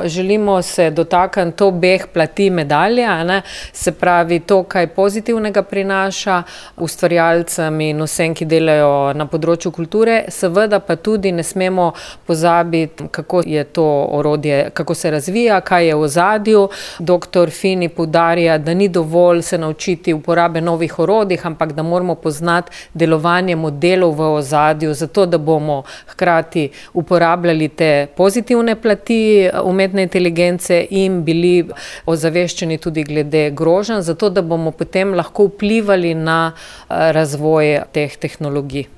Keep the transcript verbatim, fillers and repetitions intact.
Želimo se dotakniti obeh plati medalje, a ne, se pravi to, kaj pozitivnega prinaša ustvarjalcem in vsem, ki delajo na področju kulture, seveda pa tudi ne smemo pozabiti, kako je to orodje, kako se razvija, kaj je v ozadju. Doktor Fini poudarja, da ni dovolj se naučiti uporabe novih orodij, ampak da moramo poznati delovanje modelov v ozadju, zato da bomo hkrati uporabljali te pozitivne plati umetnosti inteligence in bili ozaveščeni tudi glede groženj, zato da bomo potem lahko vplivali na razvoj teh tehnologij.